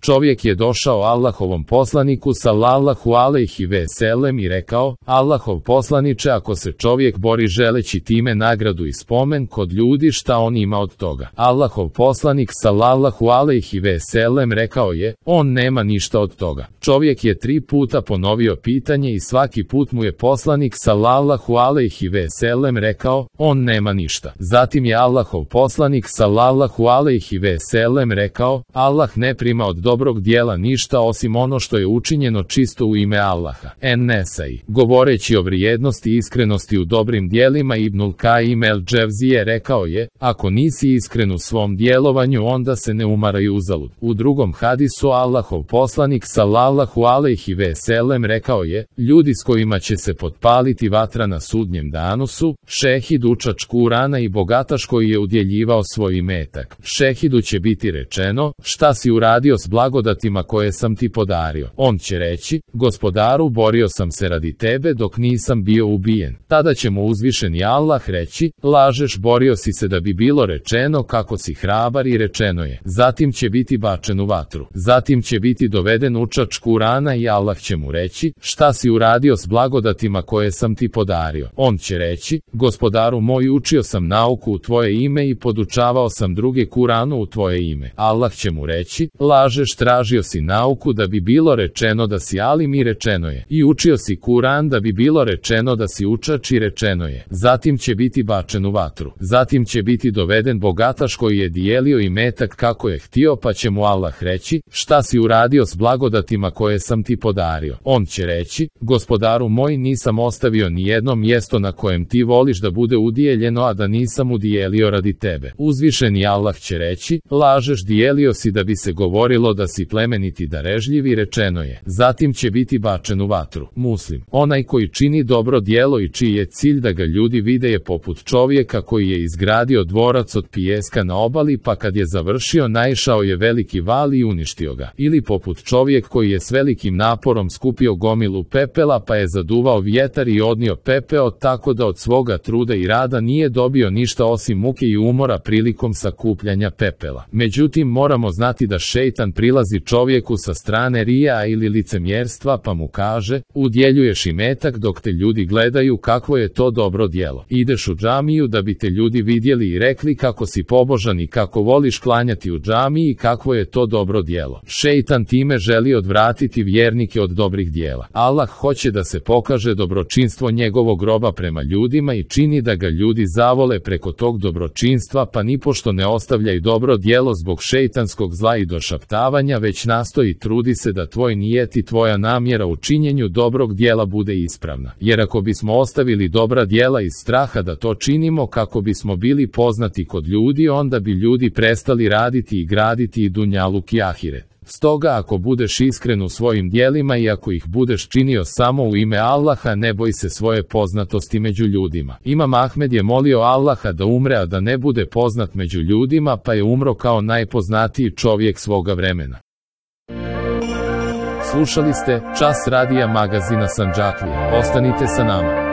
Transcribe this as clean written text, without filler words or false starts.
čovjek je došao Allahovom poslaniku sallallahu alejhi ve sellem i rekao: Allahov poslaniče, ako se čovjek bori želeći time nagradu i spomen kod ljudi, šta on ima od toga? Allahov poslanik sallallahu alejhi ve sellem rekao je: on nema ništa od toga. Čovjek je 3 puta ponovio pitanje i svaki put mu je poslanik sallallahu alejhi ve sellem rekao: on nema ništa. Zatim je Allahov poslanik sallallahu alejhi ve sellem rekao: Allah ne prima od dobrog dijela ništa osim ono što je učinjeno čisto u ime Allaha. En-Nesai. Govoreći o vrijednosti i iskrenosti u dobrim dijelima, Ibnul Kajim el-Dževzije rekao je: ako nisi iskren u svom djelovanju, onda se ne umaraj uzalud. U drugom hadisu Allahov poslanik sallallahu alejhi ve sellem rekao je: ljudi s kojima će se potpaliti vatra na sudnjem danu su šehid, učač Kurana i bogataš koji je udjeljivao svoj imetak. Šehidu će biti rečeno: šta si uradio s blagodatima koje sam ti podario? On će reći: gospodaru, borio sam se radi tebe dok nisam bio ubijen. Tada će mu uzvišeni Allah reći: lažeš, borio si se da bi bilo rečeno kako si hrabar, i rečeno je. Zatim će biti bačen u vatru. Zatim će biti doveden učač Kurana i Allah će mu reći: šta si uradio s blagodatima koje sam ti podario? On će reći: gospodaru moj, učio sam nauku u tvoje ime i podučavao sam druge Kuranu u tvoje ime. Allah će mu reći: lažeš, tražio si nauku da bi bilo rečeno da si alim, i rečeno je. I učio si Kuran da bi bilo rečeno da si učač, i rečeno je. Zatim će biti bačen u vatru. Zatim će biti doveden bogataš koji je dijelio imetak kako je htio, pa će mu Allah reći: šta si uradio s blagodatima koje sam ti podario? On će reći: gospodaru moj, nisam ostavio ni jedno mjesto na kojem ti voliš da bude udijeljeno, a da nisam udijelio radi tebe. Uzvišeni Allah će reći: lažeš, dijelio si da bi se govorilo da si plemeniti, darežljiv, i rečeno je. Zatim će biti bačen u vatru. Muslim. Onaj koji čini dobro djelo i čiji je cilj da ga ljudi vide je poput čovjeka koji je izgradio dvorac od pijeska na obali, pa kad je završio naišao je veliki val i uništio ga. Ili poput čovjek koji je s velikim naporom skupio gomilu pepela, pa je zaduvao vjetar i odnio pepeo, tako da od svoga truda i rada nije dobio ništa osim muke i umora prilikom sakupljanja pepela. Međutim, moramo znati da šejtan prilazi čovjeku sa strane rija ili licemjerstva, pa mu kaže: udjeljuješ imetak dok te ljudi gledaju, kakvo je to dobro djelo. Ideš u džamiju da bi te ljudi vidjeli i rekli kako si pobožan i kako voliš klanjati u džamiji, kakvo je to dobro djelo. Šejtan time želi odvratiti vjernike od dobrih djela. Allah hoće da se pokaže dobročinstvo njegovog roba prema ljudima i čini da ga ljudi zavole preko tog dobročinstva, pa nipošto ne ostavljaj dobro djelo zbog šejtanskog zla i došaptavanja, već nastoji, trudi se da tvoj nijet i tvoja namjera u činjenju dobrog djela bude ispravna. Jer ako bismo ostavili dobra djela iz straha da to činimo kako bismo bili poznati kod ljudi, onda bi ljudi prestali raditi i graditi i dunjaluk i ahiret. Stoga ako budeš iskren u svojim djelima i ako ih budeš činio samo u ime Allaha, ne boj se svoje poznatosti među ljudima. Imam Ahmed je molio Allaha da umre, a da ne bude poznat među ljudima, pa je umro kao najpoznatiji čovjek svoga vremena. Slušali ste Čas radija magazina Sandžaklija. Ostanite sa nama.